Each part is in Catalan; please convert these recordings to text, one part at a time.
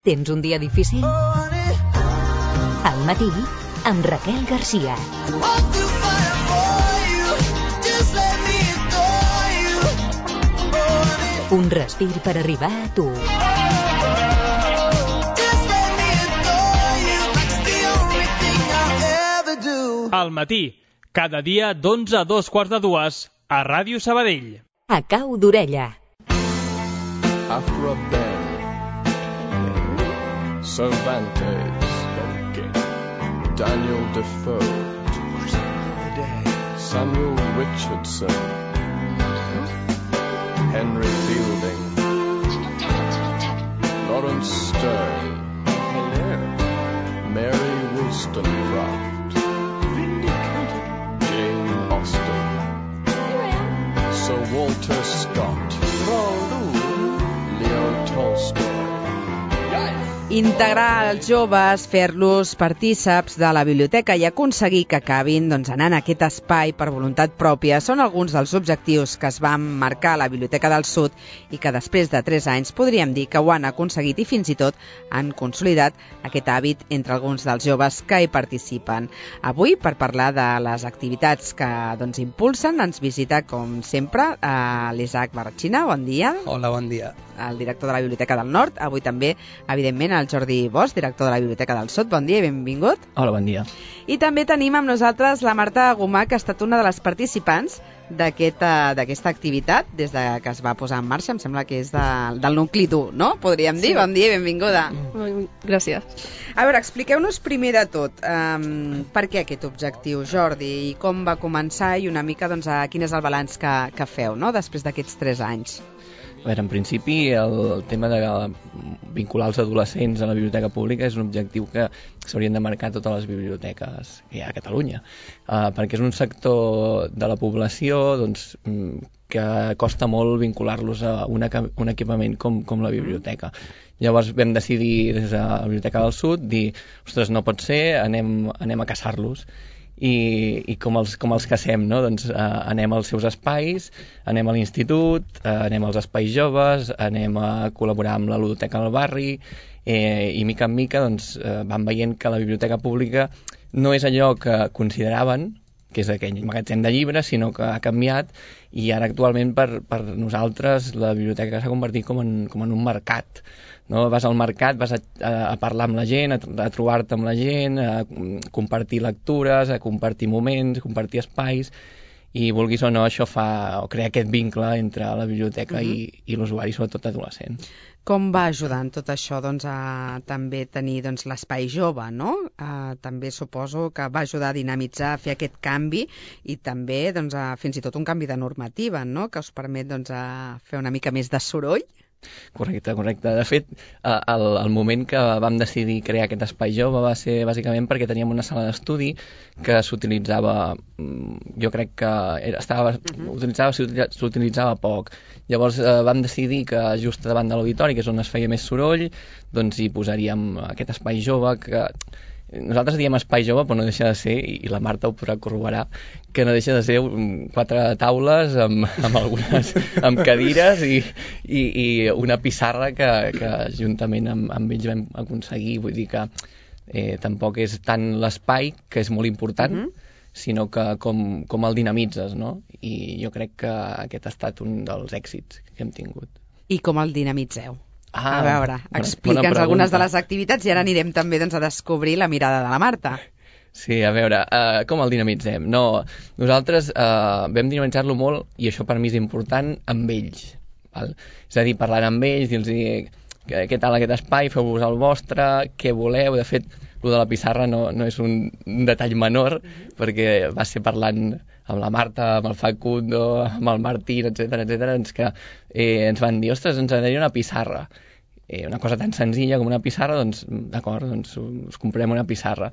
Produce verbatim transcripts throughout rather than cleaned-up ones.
Tens un dia difícil? Al matí, amb Raquel Garcia. Un respir per arribar a tu. Al matí, cada dia d'onze a dos quarts de dues, a Ràdio Sabadell. A cau d'orella. After a bed, Cervantes, okay. Daniel Defoe, Samuel Richardson, Henry Fielding, Lawrence Stern, Mary Wollstonecraft, Jane Austen, Sir Walter Scott, Leo Tolstoy. Integrar els joves, fer-los partíceps de la biblioteca i aconseguir que acabin doncs, anant a aquest espai per voluntat pròpia són alguns dels objectius que es van marcar a la Biblioteca del Sud i que després de tres anys podríem dir que ho han aconseguit i fins i tot han consolidat aquest hàbit entre alguns dels joves que hi participen. Avui, per parlar de les activitats que doncs, impulsen, ens visita, com sempre, l'Isaac Barratxina. Bon dia. Hola, bon dia. El director de la Biblioteca del Nord. Avui també, evidentment, el Jordi Bosch, director de la Biblioteca del Sud. Bon dia i benvingut. Hola, bon dia. I també tenim amb nosaltres la Marta Gomà, que ha estat una de les participants d'aquesta aquesta activitat des de que es va posar en marxa. Em sembla que és de, del nucli dur, no? Podríem dir. Sí. Bon dia i benvinguda. Gràcies. A veure, expliqueu-nos primer de tot um, per què aquest objectiu, Jordi, i com va començar i una mica doncs, a quin és el balanç que, que feu, no?, després d'aquests tres anys. A veure, en principi, el tema de vincular els adolescents a la biblioteca pública és un objectiu que s'haurien de marcar totes les biblioteques que hi ha a Catalunya, uh, perquè és un sector de la població doncs, que costa molt vincular-los a una, un equipament com, com la biblioteca. Llavors vam decidir des de la Biblioteca del Sud dir, ostres, no pot ser, anem, anem a caçar-los. I, i com, els, com els cacem, no? Doncs eh, anem als seus espais, anem a l'institut, eh, anem als espais joves, anem a col·laborar amb la ludoteca del barri eh, i mica en mica doncs, eh, van veient que la biblioteca pública no és allò que consideraven, que és aquell magatzem de llibres, sinó que ha canviat i ara actualment per, per nosaltres la biblioteca s'ha convertit com en, com en un mercat. No? Vas al mercat, vas a, a parlar amb la gent, a, a trobar-te amb la gent, a compartir lectures, a compartir moments, a compartir espais, i vulguis o no, això fa o crea aquest vincle entre la biblioteca uh-huh. i, i l'usuari, sobretot adolescent. Com va ajudar en tot això doncs, a també tenir doncs, l'espai jove, no? Uh, també suposo que va ajudar a dinamitzar, a fer aquest canvi i també doncs, a, fins i tot un canvi de normativa, no?, que us permet doncs, a fer una mica més de soroll. Correcte, correcte. De fet, el, el moment que vam decidir crear aquest espai jove va ser bàsicament perquè teníem una sala d'estudi que s'utilitzava, jo crec que era, estava, uh-huh. utilitzava, s'utilitzava poc. Llavors eh, vam decidir que just davant de l'auditori, que és on es feia més soroll, doncs hi posaríem aquest espai jove que... Nosaltres diem espai jove, però no deixa de ser, i la Marta ho podrà corroborar, que no deixa de ser quatre taules amb, amb algunes amb cadires i, i, i una pissarra que, que juntament amb, amb ells vam aconseguir. Vull dir que eh, tampoc és tant l'espai, que és molt important, mm-hmm. sinó que com, com el dinamitzes, no? I jo crec que aquest ha estat un dels èxits que hem tingut. I com el dinamitzeu? Ah, a veure, explica'ns algunes de les activitats i ara anirem també doncs, a descobrir la mirada de la Marta. Sí, a veure, uh, com el dinamitzem? No, nosaltres uh, vam dinamitzar-lo molt, i això per mi és important, amb ells. Val? És a dir, parlant amb ells, dir-los què tal aquest espai, feu-vos el vostre, què voleu. De fet, el de la pissarra no, no és un, un detall menor, mm-hmm. perquè va ser parlant amb la Marta, amb el Facundo, amb el Martín, etcètera, etcètera, ens, que, eh, ens van dir, ostres, ens agradaria una pissarra. Eh, una cosa tan senzilla com una pissarra, doncs, d'acord, doncs us comprem una pissarra.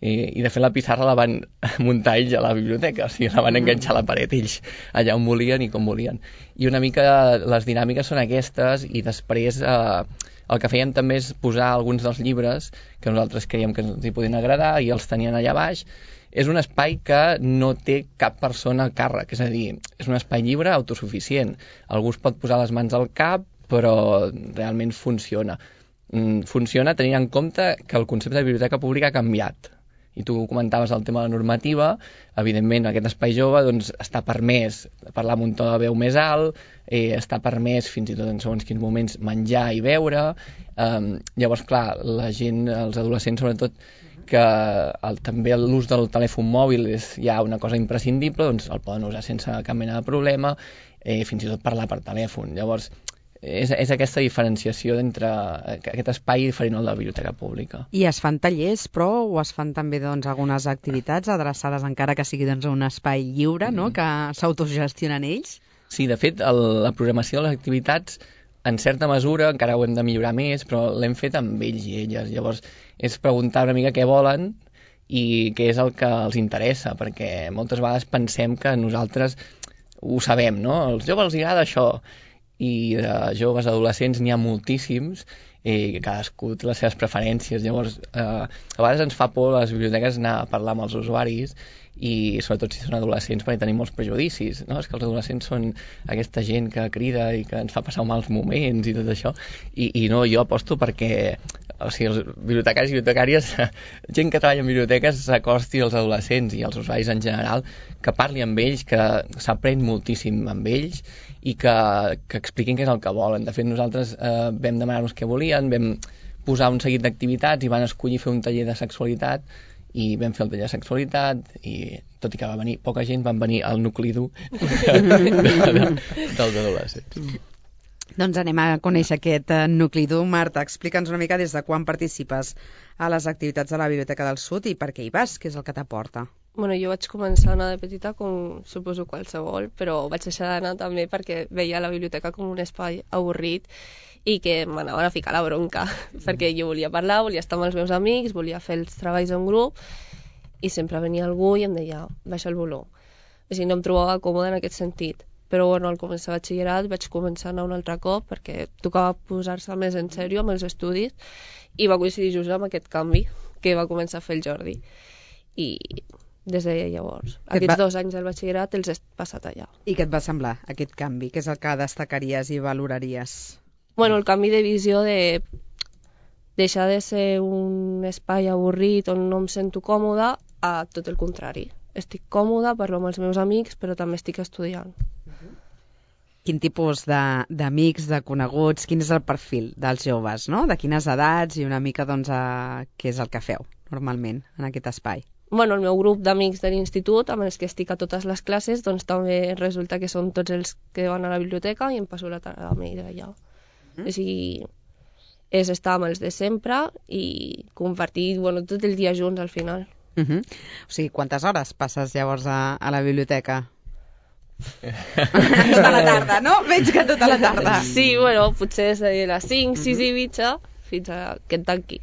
Eh, I de fet la pissarra la van muntar ells a la biblioteca, o sigui, la van enganxar a la paret ells, allà on volien i com volien. I una mica les dinàmiques són aquestes, i després eh, el que fèiem també és posar alguns dels llibres que nosaltres creiem que ens hi podien agradar i els tenien allà baix. És un espai que no té cap persona a càrrec, és a dir, és un espai lliure autosuficient. Algú es pot posar les mans al cap, però realment funciona. mm, funciona tenint en compte que el concepte de biblioteca pública ha canviat. I tu comentaves el tema de la normativa, evidentment aquest espai jove doncs, està permès parlar amb un to de veu més alt, eh, està permès fins i tot en segons quins moments menjar i beure, eh, llavors clar, la gent, els adolescents sobretot, que el, també l'ús del telèfon mòbil és ja una cosa imprescindible, doncs el poden usar sense cap mena de problema, eh, fins i tot parlar per telèfon. Llavors, és, és aquesta diferenciació entre aquest espai diferent al de la biblioteca pública. I es fan tallers, però, o es fan també doncs, algunes activitats adreçades encara que sigui doncs, un espai lliure, no?, que s'autogestionen ells? Sí, de fet, el, la programació de les activitats, en certa mesura, encara ho hem de millorar més, però l'hem fet amb ells i elles. Llavors, és preguntar una mica què volen i què és el que els interessa, perquè moltes vegades pensem que nosaltres ho sabem, no? Als joves els agrada això, i de joves adolescents n'hi ha moltíssims, i cadascú té les seves preferències. Llavors, eh, a vegades ens fa por a les biblioteques anar a parlar amb els usuaris, i sobretot si són adolescents perquè tenim molts prejudicis, no? És que els adolescents són aquesta gent que crida i que ens fa passar mals moments i tot això, i, i no, jo aposto perquè o sigui, els bibliotecaris i bibliotecàries, gent que treballa en biblioteques s'acosti als adolescents i als usuaris en general, que parli amb ells, que s'aprèn moltíssim amb ells i que, que expliquin què és el que volen. De fet, nosaltres eh, vam demanar-nos què volien, vam posar un seguit d'activitats i van escollir fer un taller de sexualitat, i vam fer el taller de sexualitat i tot i que va venir poca gent, van venir al nucli dur de, de, de, dels adolescents. Doncs anem a conèixer aquest nucli dur. Marta, explica'ns una mica des de quan participes a les activitats de la Biblioteca del Sud i per què hi vas, què és el que t'aporta. Bueno, jo vaig començar a anar de petita com suposo qualsevol, però vaig deixar d'anar també perquè veia la biblioteca com un espai avorrit i que m'anaven a ficar la bronca, perquè jo volia parlar, volia estar amb els meus amics, volia fer els treballs en grup, i sempre venia algú i em deia, baixa el volum. O sigui, no em trobava còmode en aquest sentit. Però bueno, al començar batxillerat vaig començar a anar un altre cop perquè tocava posar-se més en sèrio amb els estudis i va coincidir just amb aquest canvi que va començar a fer el Jordi. I des de llavors, Que aquests va... dos anys del batxillerat els he passat allà. I què et va semblar, aquest canvi? Què és el que destacaries i valoraries? Bueno, el canvi de visió de deixar de ser un espai avorrit on no em sento còmoda a tot el contrari. Estic còmoda, parlo amb els meus amics, però també estic estudiant. Quin tipus d'amics, de, de coneguts, quin és el perfil dels joves, no? De quines edats i una mica doncs, a... què és el que feu normalment en aquest espai? Bueno, el meu grup d'amics de l'institut, amb els que estic a totes les classes, doncs també resulta que són tots els que van a la biblioteca i em passo la tarda amb ells allà. Mm. O sigui, és estar amb els de sempre i compartir bueno, tot el dia junts al final. Uh -huh. O sigui, quantes hores passes llavors a, a la biblioteca? Tota la tarda, no? Veig que tota la tarda. Sí, bueno, potser és de les cinc, sis uh -huh. i mitja fins a que et tanqui.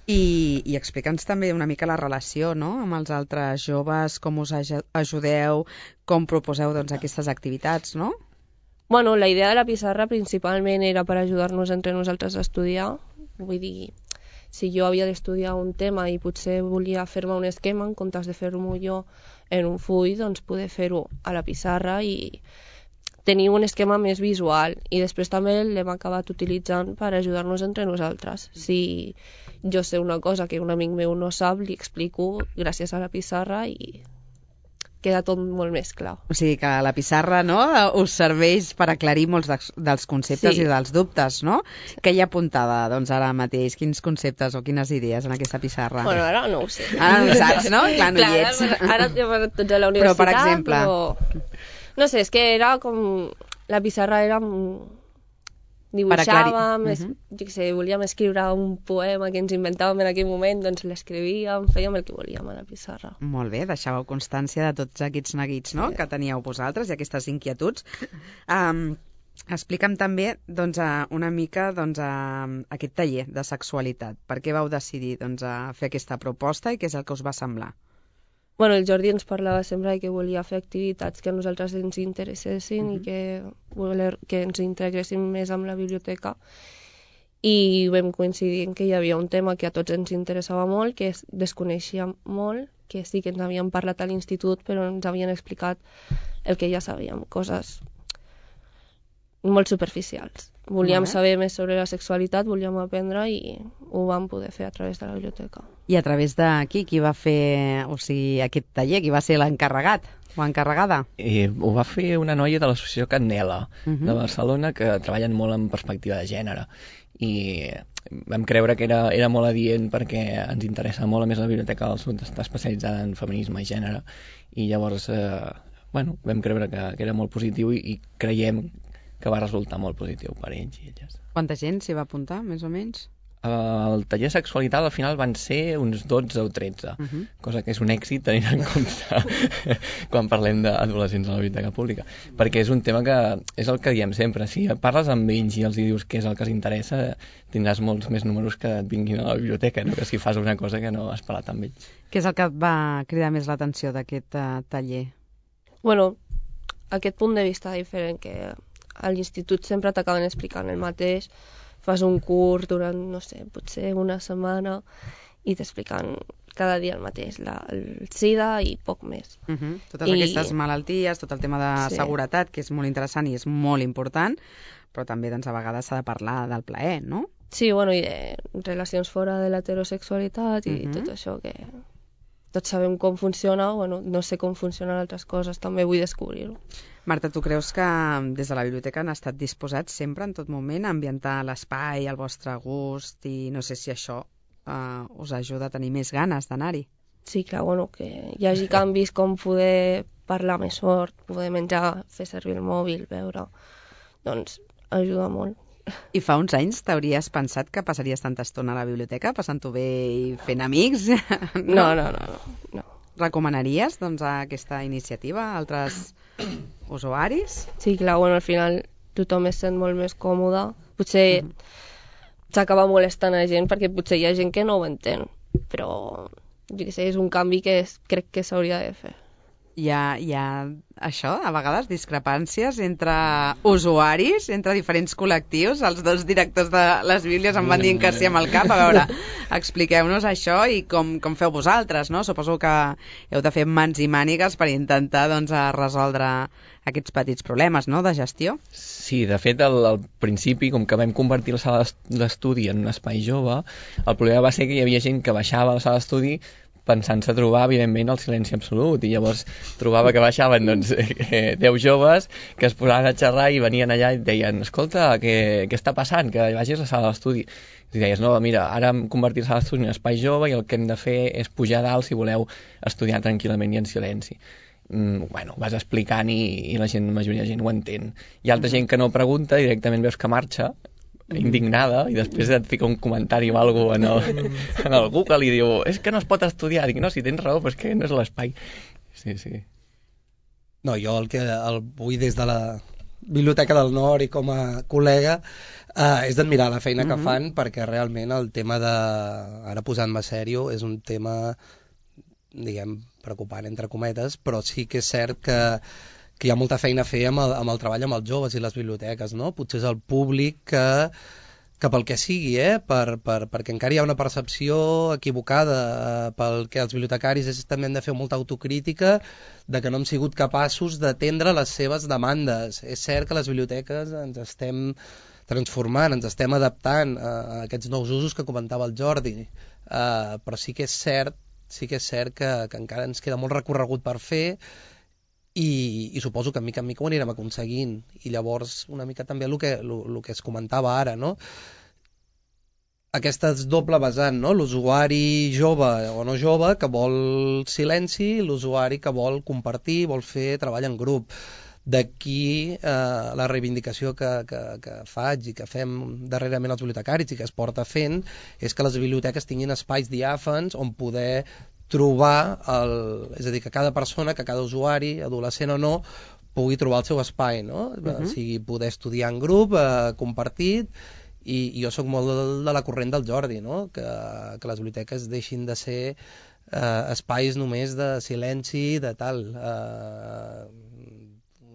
I, i explica'ns també una mica la relació, no?, amb els altres joves, com us ajudeu, com proposeu doncs, aquestes activitats, no? Bueno, la idea de la pissarra principalment era per ajudar-nos entre nosaltres a estudiar. Vull dir, si jo havia d'estudiar un tema i potser volia fer-me un esquema, en comptes de fer-m'ho jo en un full, doncs poder fer-ho a la pissarra i tenir un esquema més visual. I després també l'hem acabat utilitzant per ajudar-nos entre nosaltres. Si jo sé una cosa que un amic meu no sap, li explico gràcies a la pissarra i queda tot molt més clar. O sigui que la pissarra, no?, us serveix per aclarir molts de, dels conceptes sí. i dels dubtes, no? Sí. Què hi ha apuntada, doncs, ara mateix? Quins conceptes o quines idees en aquesta pissarra? Bueno, ara no ho sé. Ara no ho saps, no? Clar, no Clar, hi ets. Ara hem anat tots a la universitat, però, per exemple... però... No sé, és que era com... La pissarra era... Dibuixàvem, es... uh -huh. jo què sé, volíem escriure un poema que ens inventàvem en aquell moment, doncs l'escrivíem, fèiem el que volíem a la pissarra. Molt bé, deixàveu constància de tots aquests neguits, no?, sí. que teníeu vosaltres i aquestes inquietuds. Um, explica'm també doncs, una mica doncs, aquest taller de sexualitat. Per què vau decidir doncs, a fer aquesta proposta i què és el que us va semblar? Bueno, el Jordi ens parlava sempre que volia fer activitats que a nosaltres ens interessessin uh-huh. i que, voler, que ens integressin més amb la biblioteca. I vam coincidir en que hi havia un tema que a tots ens interessava molt, que es desconeixia molt, que sí que ens havien parlat a l'institut, però ens havien explicat el que ja sabíem, coses molt superficials. Volíem Molt bé. saber més sobre la sexualitat, volíem aprendre i ho vam poder fer a través de la biblioteca. I a través de qui? Qui va fer, o sigui, aquest taller? Qui va ser l'encarregat o encarregada? I ho va fer una noia de l'associació Candela, Uh -huh. de Barcelona, que treballen molt en perspectiva de gènere. I vam creure que era, era molt adient perquè ens interessa molt, a més la Biblioteca del Sud està especialitzada en feminisme i gènere, i llavors eh, bueno, vam creure que, que era molt positiu i, i creiem que va resultar molt positiu per ells i elles. Quanta gent s'hi va apuntar, més o menys? El taller de sexualitat al final van ser uns dotze o tretze, Uh -huh. cosa que és un èxit tenint en compte quan parlem d'adolescents a la biblioteca pública, perquè és un tema que és el que diem sempre, si parles amb ells i els dius què és el que els interessa, tindràs molts més números que et vinguin a la biblioteca, no? Que si fas una cosa que no has parlat amb ells. Què és el que et va cridar més l'atenció d'aquest uh, taller? Bueno, aquest punt de vista diferent, que a l'institut sempre t'acaben explicant el mateix, fas un curs durant, no sé, potser una setmana i t'expliquen cada dia el mateix, la, el SIDA i poc més. Uh -huh. Totes I- aquestes malalties, tot el tema de Sí. seguretat, que és molt interessant i és molt important, però també doncs, a vegades s'ha de parlar del plaer, no? Sí, bueno, i de relacions fora de l'heterosexualitat i Mhm. tot això que tots sabem com funciona, bueno, no sé com funcionen altres coses, també vull descobrir-ho. Marta, tu creus que des de la biblioteca han estat disposats sempre, en tot moment, a ambientar l'espai al vostre gust i no sé si això eh, us ajuda a tenir més ganes d'anar-hi? Sí, clar, bueno, que hi hagi canvis com poder parlar més fort, poder menjar, fer servir el mòbil, veure, doncs ajuda molt. I fa uns anys t'hauries pensat que passaries tanta estona a la biblioteca, passant-ho bé i fent amics? No, no, no, no. no. Recomanaries doncs, aquesta iniciativa a altres usuaris? Sí, clar, bueno, al final tothom es sent molt més còmode. Potser s'acaba molestant a gent perquè potser hi ha gent que no ho entén, però jo què sé, és un canvi que és, crec que s'hauria de fer. Hi ha, hi ha això, a vegades, discrepàncies entre usuaris, entre diferents col·lectius. Els dos directors de les bíblies em van dient que sí amb el cap. A veure, expliqueu-nos això i com, com feu vosaltres, no? Suposo que heu de fer mans i mànigues per intentar doncs, a resoldre aquests petits problemes, no?, de gestió. Sí, de fet, al, al principi, com que vam convertir la sala d'estudi en un espai jove, el problema va ser que hi havia gent que baixava a la sala d'estudi pensant-se trobar, evidentment, el silenci absolut, i llavors trobava que baixaven doncs, eh, deu joves que es posaven a xerrar i venien allà i et deien, escolta, què, què està passant? Que vagis a la sala d'estudi. I deies, no, mira, ara hem convertit la sala d'estudi en un espai jove i el que hem de fer és pujar a dalt si voleu estudiar tranquil·lament i en silenci. Mm, bueno, vas explicant i, i la gent, la majoria de gent ho entén. Hi ha altra gent que no pregunta, directament veus que marxa, indignada, i després et fica un comentari o alguna cosa en el, en el Google i diu, és que no es pot estudiar. Dic, no, si tens raó, però és que no és l'espai. Sí, sí. No, jo el que el vull des de la Biblioteca del Nord i com a col·lega eh, és d'admirar la feina que Mhm. fan, perquè realment el tema de, ara posant-me sèrio, és un tema, diguem, preocupant entre cometes, però sí que és cert que que hi ha molta feina a fer amb el, amb el treball amb els joves i les biblioteques, no? Potser és el públic que, que pel que sigui, eh? per, per, perquè encara hi ha una percepció equivocada eh, pel que els bibliotecaris és, també hem de fer molta autocrítica de que no hem sigut capaços d'atendre les seves demandes. És cert que les biblioteques ens estem transformant, ens estem adaptant a, a aquests nous usos que comentava el Jordi, eh, però sí que és cert, sí que és cert que, que encara ens queda molt recorregut per fer. I, i suposo que en mica en mica ho anirem aconseguint, i llavors una mica també el que, el, el que es comentava ara, no? Aquesta és doble vessant, no? L'usuari jove o no jove que vol silenci, l'usuari que vol compartir, vol fer treball en grup. D'aquí eh, la reivindicació que, que, que faig i que fem darrerament els bibliotecaris i que es porta fent és que les biblioteques tinguin espais diàfans on poder trobar, el, és a dir, que cada persona, que cada usuari, adolescent o no, pugui trobar el seu espai, no? Uh-huh. O sigui, poder estudiar en grup, eh, compartit, i, i jo sóc molt de, de la corrent del Jordi, no? Que, que les biblioteques deixin de ser eh, espais només de silenci, de tal. Eh,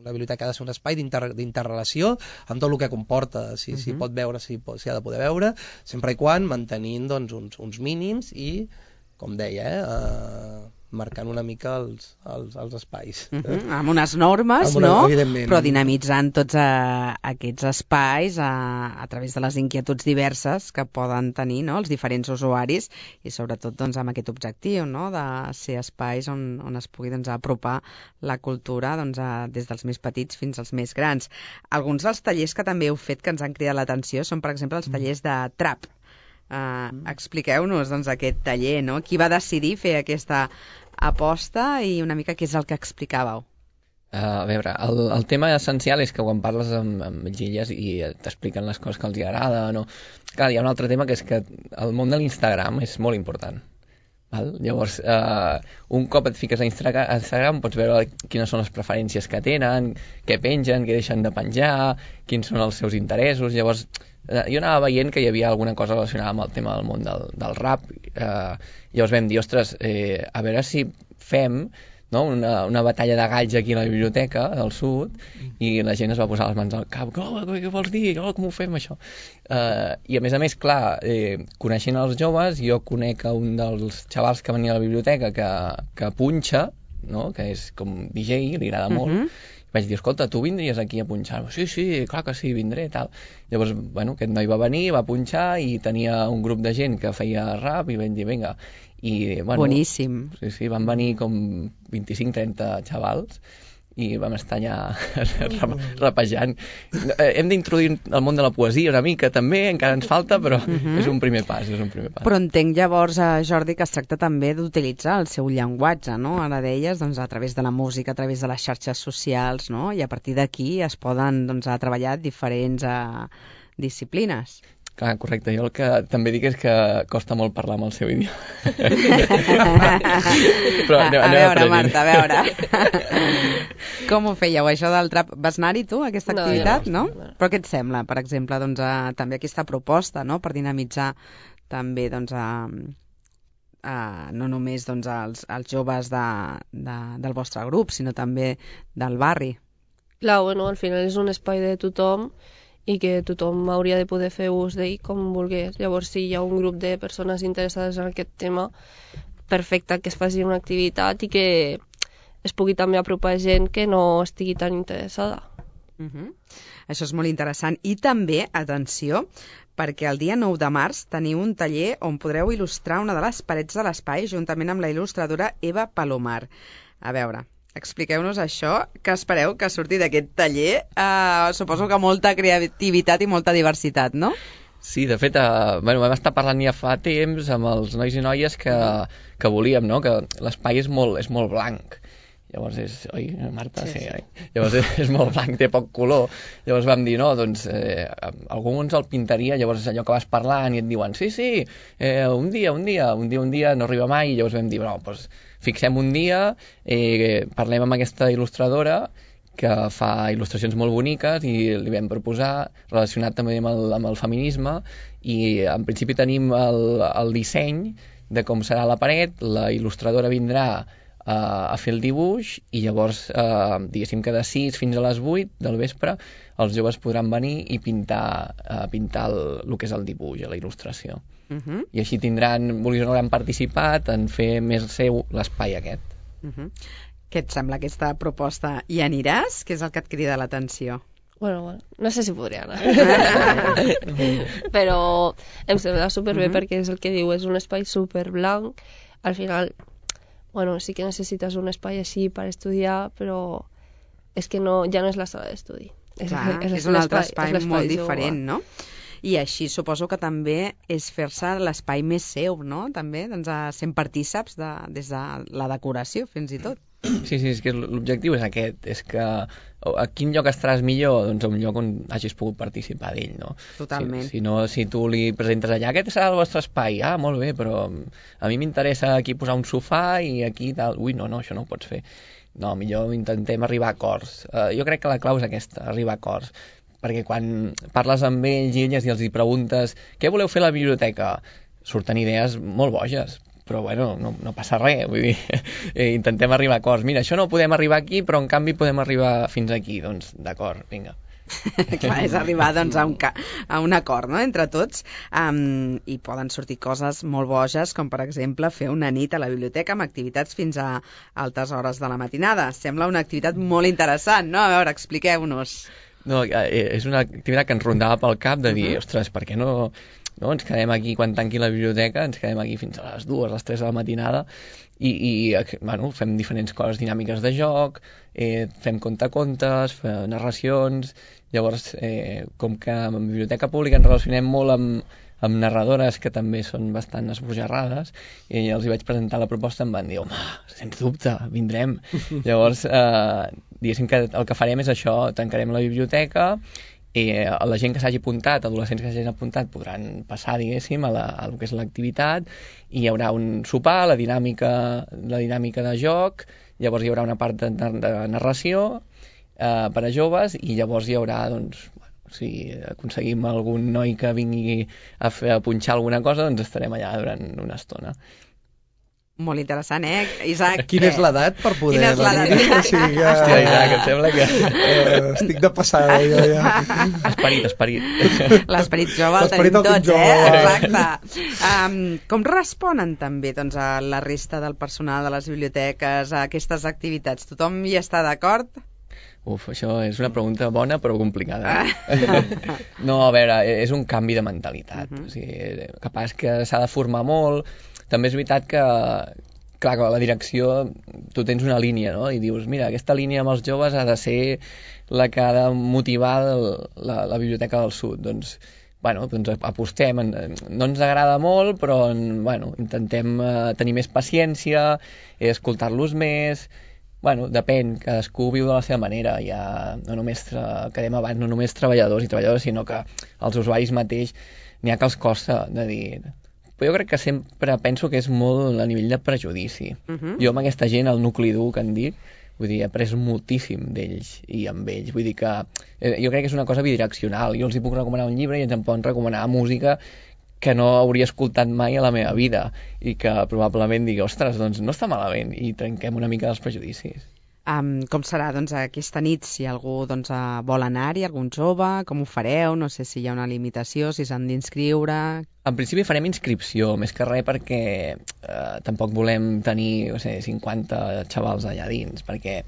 la biblioteca ha de ser un espai d'interrelació amb tot el que comporta, si, uh-huh. si pot veure, si, si ha de poder veure, sempre i quan mantenint doncs, uns, uns mínims i com deia, eh, uh, marcant una mica els, els, els espais. Uh -huh, amb unes normes, amb una, no? evidentment. Però dinamitzant tots a, aquests espais a, a través de les inquietuds diverses que poden tenir, no?, els diferents usuaris i sobretot doncs, amb aquest objectiu, no?, de ser espais on, on es pugui doncs, apropar la cultura doncs, a, des dels més petits fins als més grans. Alguns dels tallers que també heu fet que ens han cridat l'atenció són, per exemple, els tallers de trap. Uh, expliqueu-nos doncs, aquest taller, no? Qui va decidir fer aquesta aposta i una mica què és el que explicàveu? Uh, a veure, el, el tema essencial és que quan parles amb, amb illes i t'expliquen les coses que els agrada, no? Clar, hi ha un altre tema que és que el món de l'Instagram és molt important. Val? Llavors, uh, un cop et fiques a Instagram, a Instagram pots veure quines són les preferències que tenen, què pengen, què deixen de penjar, quins són els seus interessos. Llavors, uh, jo anava veient que hi havia alguna cosa relacionada amb el tema del món del, del rap. Uh, llavors vam dir, ostres, eh, a veure si fem, no?, una, una batalla de galls aquí a la biblioteca del sud, i la gent es va posar les mans al cap. Oh, què vols dir? Oh, com ho fem, això? Uh, I a més a més, clar, eh, coneixent els joves, jo conec a un dels xavals que venia a la biblioteca que, que punxa, no?, que és com D J, li agrada molt. Uh-huh. Vaig dir, escolta, tu vindries aquí a punxar? Sí, sí, clar que sí, vindré, tal. Llavors, bueno, aquest noi va venir, va punxar i tenia un grup de gent que feia rap i vam dir, vinga. I, bueno, boníssim. Sí, sí, van venir com vint-i-cinc trenta xavals i vam estar allà rapejant. Hem d'introduir el món de la poesia una mica també, encara ens falta, però uh-huh. és un primer pas, és un primer pas. Però entenc llavors, eh, Jordi, que es tracta també d'utilitzar el seu llenguatge, no? Ara deies, doncs, a través de la música, a través de les xarxes socials, no? I a partir d'aquí es poden, doncs, a treballar diferents eh, disciplines. Clar, correcte. Jo el que també dic és que costa molt parlar amb el seu idioma. Però anem, a, a veure, a Marta, a veure. Com ho fèieu, això del trap? Vas anar-hi tu, a aquesta activitat, no? no? Però què et sembla, per exemple, doncs, a, també aquesta proposta, no?, per dinamitzar també, doncs, a, a, no només doncs, als, als joves de, de, del vostre grup, sinó també del barri? Clar, bueno, al final és un espai de tothom i que tothom hauria de poder fer ús d'ell com volgués. Llavors, si hi ha un grup de persones interessades en aquest tema, perfecte que es faci una activitat i que es pugui també apropar gent que no estigui tan interessada. Uh-huh. Això és molt interessant. I també, atenció, perquè el dia nou de març teniu un taller on podreu il·lustrar una de les parets de l'espai juntament amb la il·lustradora Eva Palomar. A veure, expliqueu-nos això, que espereu que surti d'aquest taller. Uh, suposo que molta creativitat i molta diversitat, no? Sí, de fet, uh, bueno, vam estar parlant ja fa temps amb els nois i noies que, que volíem, no?, que l'espai és molt, és molt blanc. Llavors és... Oi, Marta? Sí, sí, sí. Oi? Llavors és, és molt blanc, té poc color. Llavors vam dir, no, doncs eh, algú ens el pintaria, llavors allò que vas parlant i et diuen, sí, sí, eh, un dia, un dia, un dia, un dia, no arriba mai, i llavors vam dir, no, doncs fixem un dia, eh, parlem amb aquesta il·lustradora que fa il·lustracions molt boniques i li vam proposar, relacionat també amb el, amb el feminisme, i en principi tenim el, el disseny de com serà la paret, la il·lustradora vindrà eh, a fer el dibuix i llavors, eh, diguéssim que de sis fins a les vuit del vespre els joves podran venir i pintar, eh, pintar el, el que és el dibuix, la il·lustració. Uh-huh. I així tindran, vulguis o no, han participat en fer més seu l'espai aquest. Uh-huh. Què et sembla aquesta proposta? Hi aniràs? Què és el que et crida l'atenció? Bueno, bueno, no sé si podria anar. Però em sembla superbé uh-huh. perquè és el que diu, és un espai superblanc. Al final, bueno, sí que necessites un espai així per estudiar, però és que no, ja no és la sala d'estudi. És, Clar, és, és un altre espai, espai molt diferent, no? I així suposo que també és fer-se l'espai més seu, no? També, doncs, sent partíceps de, des de la decoració, fins i tot. Sí, sí, és que l'objectiu és aquest, és que a quin lloc estaràs millor? Doncs a un lloc on hagis pogut participar d'ell, no? Totalment. Si, si no, si tu li presentes allà, aquest serà el vostre espai, ah, molt bé, però a mi m'interessa aquí posar un sofà i aquí tal, ui, no, no, això no ho pots fer. No, millor intentem arribar a acords. Uh, jo crec que la clau és aquesta, arribar a acords. Perquè quan parles amb ells i elles i els hi preguntes què voleu fer a la biblioteca, surten idees molt boges, però bueno, no, no passa res, vull dir, eh, intentem arribar a acords. Mira, això no podem arribar aquí, però en canvi podem arribar fins aquí, doncs d'acord, vinga. Clar, és arribar doncs, a, un ca a un acord, no?, entre tots, um, i poden sortir coses molt boges, com per exemple fer una nit a la biblioteca amb activitats fins a altes hores de la matinada. Sembla una activitat molt interessant, no? A veure, expliqueu-nos. No, és una activitat que ens rondava pel cap de dir, uh -huh. ostres, per què no, no ens quedem aquí quan tanqui la biblioteca, ens quedem aquí fins a les dues, a les tres de la matinada, i, i bueno, fem diferents coses dinàmiques de joc, eh, fem contacontes, fem narracions. Llavors, eh, com que en la biblioteca pública ens relacionem molt amb, amb narradores que també són bastant esbojarrades, i els hi vaig presentar la proposta i em van dir, home, sens dubte, vindrem. Llavors, eh, diguéssim que el que farem és això, tancarem la biblioteca, i la gent que s'hagi apuntat, adolescents que s'hagin apuntat, podran passar, diguéssim, a, la, a el que és l'activitat, i hi haurà un sopar, la dinàmica, la dinàmica de joc, llavors hi haurà una part de, de narració eh, per a joves, i llavors hi haurà, doncs, si aconseguim algun noi que vingui a, fer, a punxar alguna cosa, doncs estarem allà durant una estona. Molt interessant, eh, Isaac? Quina és l'edat per poder Quina és l'edat? venir? O sigui que... Hòstia, Isaac, em sembla que... Eh, estic de passada, jo ja. Esperit, esperit. L'esperit jove el tenim tots, eh? Exacte. Um, com responen també doncs, a la resta del personal de les biblioteques a aquestes activitats? Tothom hi està d'acord? Uf, això és una pregunta bona però complicada. No, a veure, és un canvi de mentalitat. Uh-huh. O sigui, capaç que s'ha de formar molt. També és veritat que, clar, que la direcció, tu tens una línia, no? I dius, mira, aquesta línia amb els joves ha de ser la que ha de motivar el, la, la Biblioteca del Sud. Doncs, bueno, doncs apostem. No ens agrada molt, però bueno, intentem eh, tenir més paciència, eh, escoltar-los més. Bueno, depèn, cadascú viu de la seva manera. Ja no només, que dèiem abans, no només treballadors i treballadores, sinó que els usuaris mateix n'hi ha que els costa de dir... Però jo crec que sempre penso que és molt a nivell de prejudici. Uh-huh. Jo amb aquesta gent, el nucli dur que en dic, vull dir, he après moltíssim d'ells i amb ells. Vull dir que eh, jo crec que és una cosa bidireccional. Jo els hi puc recomanar un llibre i ens en poden recomanar música que no hauria escoltat mai a la meva vida i que probablement digui, ostres, doncs no està malament, i trenquem una mica dels prejudicis. Um, com serà doncs, aquesta nit, si algú doncs, uh, vol anar-hi, algun jove, com ho fareu? No sé si hi ha una limitació, si s'han d'inscriure... En principi farem inscripció, més que res perquè eh, tampoc volem tenir no sé, cinquanta xavals allà dins, perquè,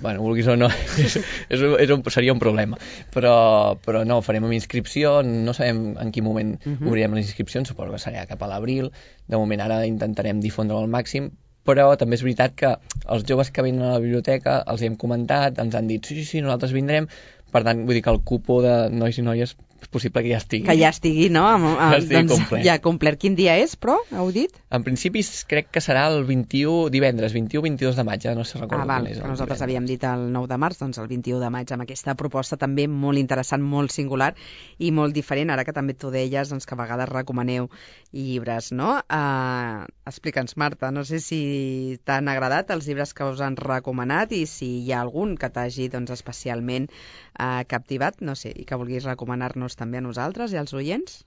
bueno, vulguis o no, és, és, un, és un, seria un problema. Però, però no, farem amb inscripció, no sabem en quin moment uh-huh. obrirem les inscripcions, suposo que serà cap a l'abril. De moment ara intentarem difondre al màxim, però també és veritat que els joves que venen a la biblioteca els hi hem comentat, ens han dit sí, sí, sí, nosaltres vindrem, per tant, vull dir que el cupo de nois i noies és possible que ja estigui. Que ja estigui, no? Amb, amb, ja estigui doncs, complet. Ja complert. Quin dia és, però? Heu dit? En principi crec que serà el vint-i-u, divendres, vint-i-u vint-i-dos de maig, ja no sé recordo ah, val, quin és. Que nosaltres divendres. Havíem dit el nou de març, doncs el vint-i-u de maig, amb aquesta proposta també molt interessant, molt singular i molt diferent, ara que també tu deies doncs, que a vegades recomaneu llibres, no? Uh, Explica'ns, Marta, no sé si t'han agradat els llibres que us han recomanat i si hi ha algun que t'hagi doncs, especialment uh, captivat, no sé, i que vulguis recomanar-nos també a nosaltres i als oients?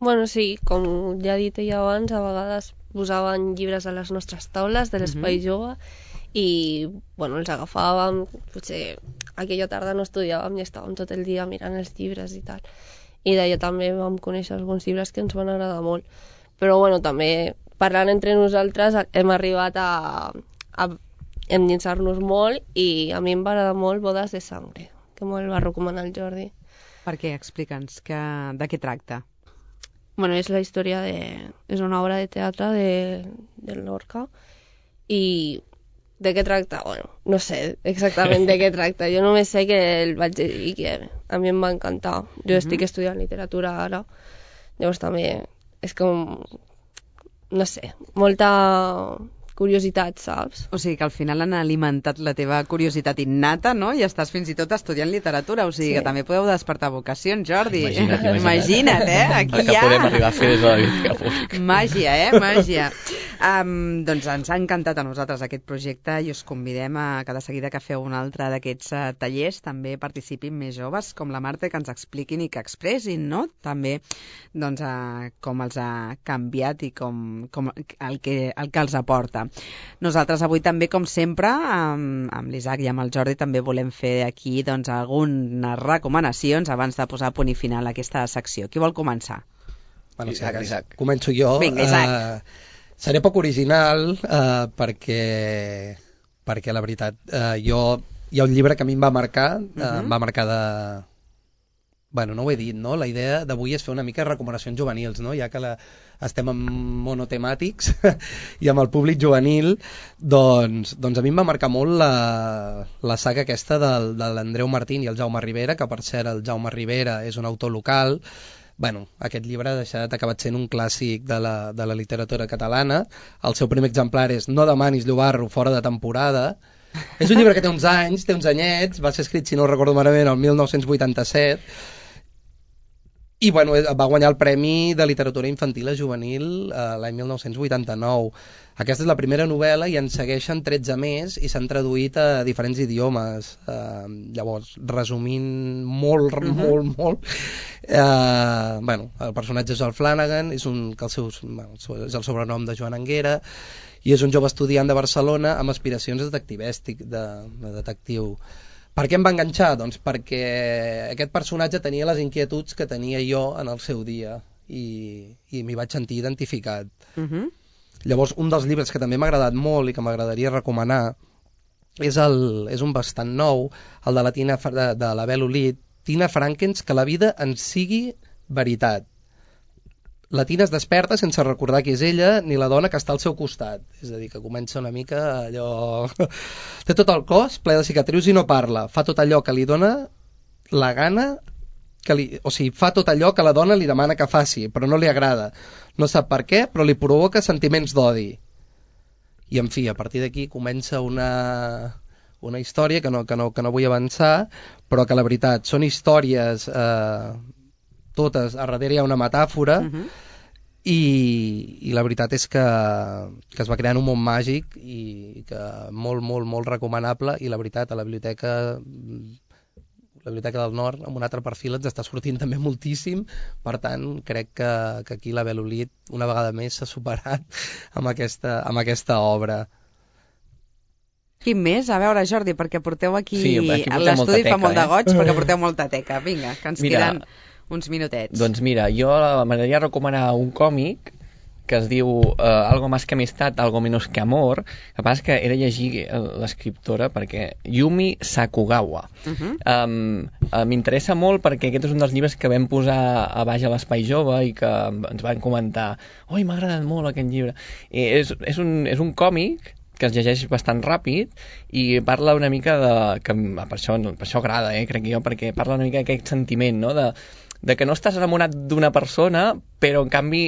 Bueno, sí, com ja he dit ella abans, a vegades posaven llibres a les nostres taules de l'Espai uh-huh. Jove i, bueno, els agafàvem, potser aquella tarda no estudiàvem i estàvem tot el dia mirant els llibres i tal. I d'allà també vam conèixer alguns llibres que ens van agradar molt. Però, bueno, també parlant entre nosaltres hem arribat a, a endinsar-nos molt i a mi em va agradar molt Bodes de Sangre, que me'l va recomanar el Jordi. Per què? Explica'ns que, de què tracta. Bueno, és la història de... és una obra de teatre de, de Lorca i de què tracta? Bueno, no sé exactament de què tracta. Jo només sé que el vaig dir i que a mi em va encantar. Jo uh-huh. estic estudiant literatura ara, llavors també és com, no sé, molta curiositat, saps? O sigui que al final han alimentat la teva curiositat innata, no? I estàs fins i tot estudiant literatura, o sigui sí. que també podeu despertar vocacions, Jordi. Imagina't, imagina't, imagina't eh? Aquí el que ja... podem arribar a fer des de la biblioteca pública. Màgia, eh? Màgia. Um, doncs ens ha encantat a nosaltres aquest projecte i us convidem a que de seguida que feu un altre d'aquests uh, tallers també participin més joves com la Marta, que ens expliquin i que expressin, no? També doncs, uh, com els ha canviat i com, com el, que, el que els aporta. Nosaltres avui també, com sempre, amb, amb l'Isaac i amb el Jordi també volem fer aquí doncs, algunes recomanacions abans de posar punt i final a aquesta secció. Qui vol començar? Bueno, Isaac, sí, Isaac. Començo jo. Vinga, Isaac. Uh, seré poc original uh, perquè, perquè la veritat, uh, jo, hi ha un llibre que a mi em va marcar, uh, uh-huh. em va marcar de... Bueno, no ho he dit, no? La idea d'avui és fer una mica de recomanacions juvenils, no? Ja que la, estem en monotemàtics i amb el públic juvenil, doncs, doncs a mi em va marcar molt la, la saga aquesta del, de l'Andreu Martín i el Jaume Rivera, que per cert el Jaume Rivera és un autor local. Bueno, aquest llibre ha deixat, ha acabat sent un clàssic de la, de la literatura catalana. El seu primer exemplar és No demanis llobarro fora de temporada. És un llibre que té uns anys, té uns anyets, va ser escrit, si no ho recordo malament, el mil nou-cents vuitanta-set, i bueno, va guanyar el Premi de Literatura Infantil a Juvenil eh, l'any mil nou-cents vuitanta-nou. Aquesta és la primera novel·la i en segueixen tretze més i s'han traduït a diferents idiomes. Eh, llavors, resumint molt, uh-huh. molt, molt, eh, bueno, el personatge és el Flanagan, és, un, que el seu, bueno, és el sobrenom de Joan Anguera, i és un jove estudiant de Barcelona amb aspiracions detectivístic, de, de detectiu. Per què em va enganxar? Doncs perquè aquest personatge tenia les inquietuds que tenia jo en el seu dia i, i m'hi vaig sentir identificat. Uh-huh. Llavors, un dels llibres que també m'ha agradat molt i que m'agradaria recomanar és, el, és un bastant nou, el de la Tina, de, de la Bel Olid, Tina Frankens, que la vida en sigui veritat. La Tina es desperta sense recordar qui és ella ni la dona que està al seu costat. És a dir, que comença una mica allò... Té tot el cos ple de cicatrius i no parla. Fa tot allò que li dona la gana... Que li... O sigui, fa tot allò que la dona li demana que faci, però no li agrada. No sap per què, però li provoca sentiments d'odi. I, en fi, a partir d'aquí comença una... una història que no, que, no, que no vull avançar, però que la veritat són històries... Eh... totes, a darrere hi ha una metàfora, uh-huh. i, i la veritat és que, que es va crear en un món màgic i que molt, molt, molt recomanable, i la veritat a la biblioteca la Biblioteca del Nord, amb un altre perfil, ens està sortint també moltíssim, per tant crec que, que aquí la Bel Olid una vegada més s'ha superat amb aquesta, amb aquesta obra. Quin més? A veure, Jordi, perquè porteu aquí, sí, aquí a l'estudi fa molt de goig, eh? perquè porteu molta teca. Vinga, que ens Mira, queden uns minutets. Doncs mira, jo m'agradaria recomanar un còmic que es diu uh, Algo más que amistad, algo menos que amor. El que passa és que he de llegir l'escriptora perquè Yumi Sakugawa. Uh-huh. um, uh, M'interessa molt perquè aquest és un dels llibres que vam posar a baix a l'Espai Jove i que ens van comentar oi, m'ha agradat molt aquest llibre. I és, és, un, és un còmic que es llegeix bastant ràpid i parla una mica de... que per això, per això agrada, eh, crec jo, perquè parla una mica d'aquest sentiment, no?, de de que no estàs enamorat d'una persona, però en canvi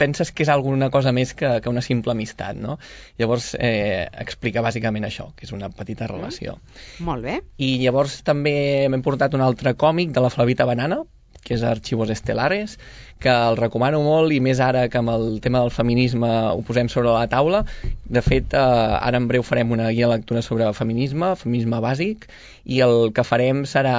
penses que és alguna cosa més que, que una simple amistat, no? Llavors eh, explica bàsicament això, que és una petita relació. Mm. Molt bé. I llavors també m'he portat un altre còmic de la Flavita Banana, que és Archivos Estelares, que el recomano molt, i més ara que amb el tema del feminisme ho posem sobre la taula. De fet, eh, ara en breu farem una guia de lectura sobre feminisme, feminisme bàsic, i el que farem serà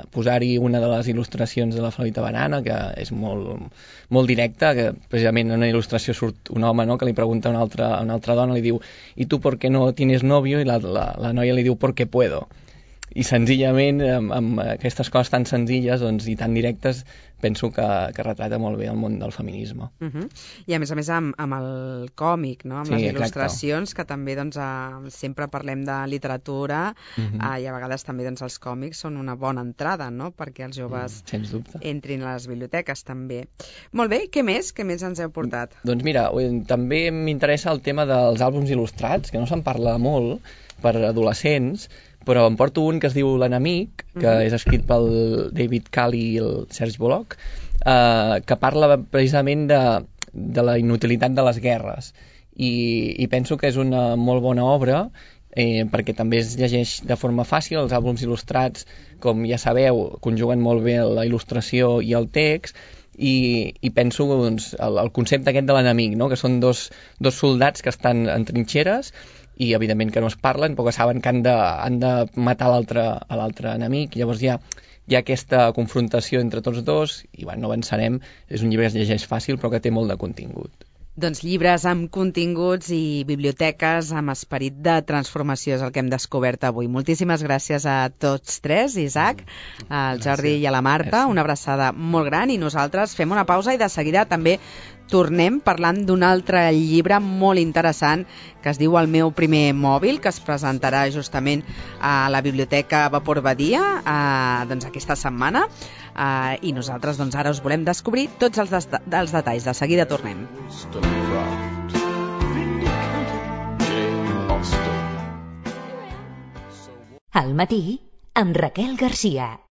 posar-hi una de les il·lustracions de la Flavita Banana, que és molt, molt directa, que precisament en una il·lustració surt un home, no?, que li pregunta a una altra, a una altra dona, li diu «¿Y tú por qué no tienes novio?» i la, la, la noia li diu «porque puedo». I senzillament, amb, amb aquestes coses tan senzilles, doncs, i tan directes, penso que, que retrata molt bé el món del feminisme. Uh-huh. I a més a més amb, amb el còmic, no?, amb sí, les il·lustracions, exacte. Que també doncs, eh, sempre parlem de literatura, uh-huh. eh, i a vegades també doncs, els còmics són una bona entrada, no?, perquè els joves mm, sens dubte. entrin a les biblioteques també. Molt bé, què més? Què més ens heu portat? Doncs mira, també m'interessa el tema dels àlbums il·lustrats, que no se'n parla molt per adolescents, però em porto un que es diu L'enemic, que uh-huh. és escrit pel David Cali i el Serge Bollock, eh, que parla precisament de, de la inutilitat de les guerres. I, i penso que és una molt bona obra, eh, perquè també es llegeix de forma fàcil. Els àlbums il·lustrats, com ja sabeu, conjuguen molt bé la il·lustració i el text, i, i penso doncs, el, el concepte aquest de l'enemic, no? Que són dos, dos soldats que estan en trinxeres i evidentment que no es parlen, però que saben que han de, han de matar l'altre a l'altre enemic. Llavors hi ha, hi ha aquesta confrontació entre tots dos i bueno, no avançarem. És un llibre que es llegeix fàcil però que té molt de contingut. Doncs llibres amb continguts i biblioteques amb esperit de transformació és el que hem descobert avui. Moltíssimes gràcies a tots tres, Isaac, al Jordi i a la Marta. Una abraçada molt gran i nosaltres fem una pausa i de seguida també tornem parlant d'un altre llibre molt interessant que es diu El meu primer mòbil, que es presentarà justament a la Biblioteca Vapor Badia eh, doncs aquesta setmana eh, i nosaltres doncs, ara us volem descobrir tots els, des dels detalls. De seguida tornem. Wollstonecraft. Jane Austen. Al matí amb Raquel Garcia.